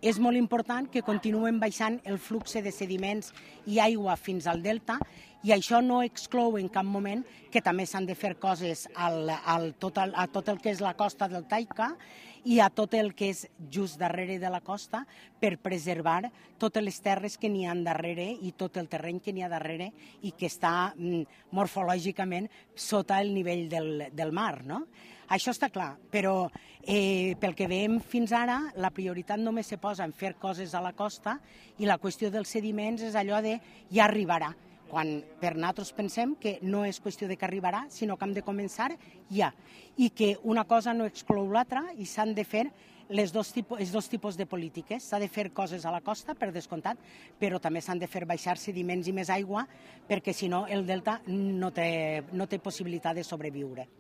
és molt important que continuen baixant el flux de sediments i aigua fins al delta, i això no exclou en cap moment que també s'han de fer coses a tot el que és la costa del Taika i a tot el que és just darrere de la costa per preservar totes les terres que n'hi ha darrere i tot el terreny que n'hi ha darrere i que està morfològicament sota el nivell del mar, no? Això està clar, però pel que veiem fins ara, la prioritat només se posa en fer coses a la costa i la qüestió dels sediments és allò de ja arribarà, quan per nosaltres pensem que no és qüestió de que arribarà, sinó que hem de començar ja, i que una cosa no exclou l'altra i s'han de fer els dos tipus de polítiques. S'ha de fer coses a la costa, per descomptat, però també s'han de fer baixar sediments i més aigua, perquè si no el delta no té possibilitat de sobreviure.